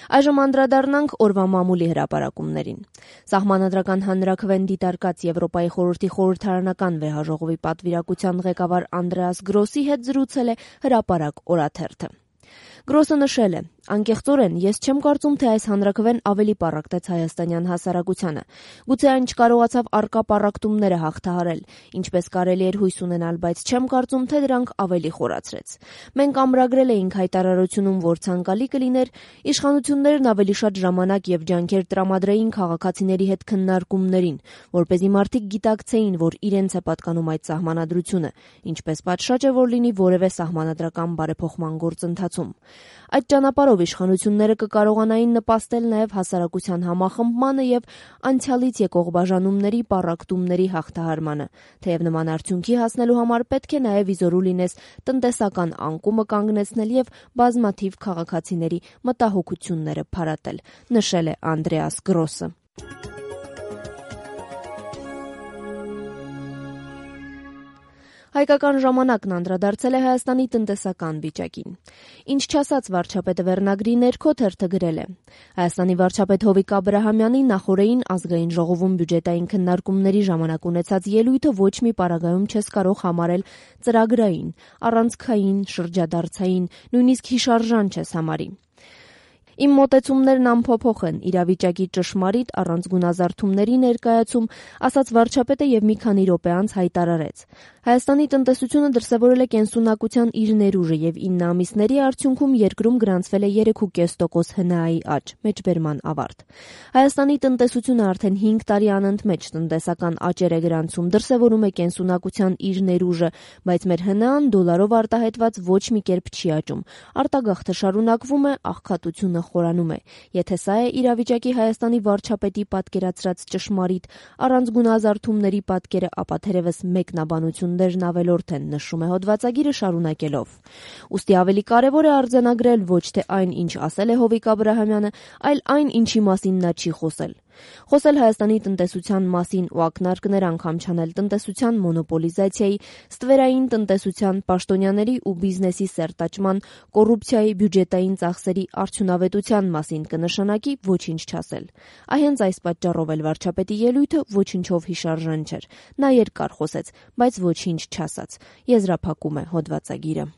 Այժմ անդրադառնանք օրվա մամուլի հրապարակումներին։ Սահմանադրական հանրաքվեն դիտարկած Եվրոպայի խորհրդի խորհրդարանական վեհաժողովի պատվիրակության ղեկավար Անդրեաս Գրոսի հետ զրուցել է Հրապարակ օրաթերթը։ Գրոսը նշել է. «Անկեղծորեն, ես չեմ կարծում, թե այս հանրաքվեն ավելի պառակտեց հայաստանյան հասարակությանը։ Գուցե այն չկարողացավ առկա պառակտումները հաղթահարել, ինչպես կարելի էր հույս ունենալ, բայց չեմ կարծում, թե դրանք ավելի խորացրեց։ Մենք ամրագրել էինք հայտարարությունում, որ ցանկալի կլիներ իշխանություններն ավելի շատ ժամանակ եւ ջանքեր տրամադրեին քաղաքացիների հետ քննարկումներին, որպեսզի մարդիկ գիտակցեին, որ իրենց է պատկանում այդ սահմանադրությունը, ինչպես պատշաճ է, որ լինի որևէ սահմանադրական բարեփոխման գործընթացում։ Այդ ճանապարհով իշխանությունները կկարողանային նպաստել նաև հասարակության համախմբմանը եւ անցյալից եկող բաժանումների պառակտումների հաղթահարմանը, թեև նման արդյունքի հասնելու համար պետք է նաև իզորու լինես տնտեսական անկումը կանգնեցնել եւ բազմաթիվ քաղաքացիների մտահոգությունները փարատել», նշել է Անդրեաս Գրոսը։ Հայկական ժամանակն անդրադարձել է Հայաստանի տնտեսական վիճակին։ «Ինչ չասաց վարչապետը» վերնագրի ներքո թերթը գրել է. Հայաստանի վարչապետ Հովիկ Աբրահամյանի նախօրեին ազգային ժողովում բյուջետային քննարկումների ժամանակ ունեցած ելույթը ոչ մի պարագայում չես կարող համարել ծրագրային, առանցքային, շրջադարձային, նույնիսկ հիշարժան չես համարի։ Իմ մոտեցումներն անփոփոխ են, իրավիճակի ճշմարիտ առանց գունազարդումների ներկայացում, ասաց վարչապետը եւ մի քանի րոպե անց հայտարարեց. Հայաստանի տնտեսությունը դրսևորել է կենսունակության իր ներուժը եւ 9 ամիսների արդյունքում երկրում գրանցվել է 3.5% ՀՆԱ-ի աճ, մեջբերման ավարտ։ Հայաստանի տնտեսությունը արդեն 5 տարի անընդմեջ տնտեսական աճեր է գրանցում, դրսևորում է կենսունակության իր ներուժը, բայց մեր ՀՆԱ-ն դոլարով արտահայտված ոչ մի կերպ չի աճում։ Արտագաղթը շարունակվում է, աղքատությունը խորանում է։ Եթե սա է իրավիճակի Հայաստանի վարչապետի պատկերացրած ճշմարիտ առանց գունազարդումների պատկերը, ապա թերևս մեկնաբանություններն ավելորդ են, նշում է հոդվածագիրը շարունակելով։ Ուստի ավելի կարևոր է արձանագրել ոչ թե այն, ինչ ասել է Հովիկ Աբրահամյանը, այլ այն, ինչի մասին նա չի խոսել։ Խոսել Հայաստանի տնտեսության մասին ու ակնարկներ անգամ չանել տնտեսության մոնոպոլիզացիայի, ստվերային տնտեսության, պաշտոնյաների ու բիզնեսի սերտաճման, կոռուպցիայի, բյուջետային ծախսերի արդյունավետության մասին կնշանակի ոչինչ չասել։ Հենց այս պատճառով էլ վարչապետի ելույթը ոչինչով հիշարժան չէր։ Նա երկար խոսեց, բայց ոչինչ չասաց, եզրափակում է հոդվածագիրը։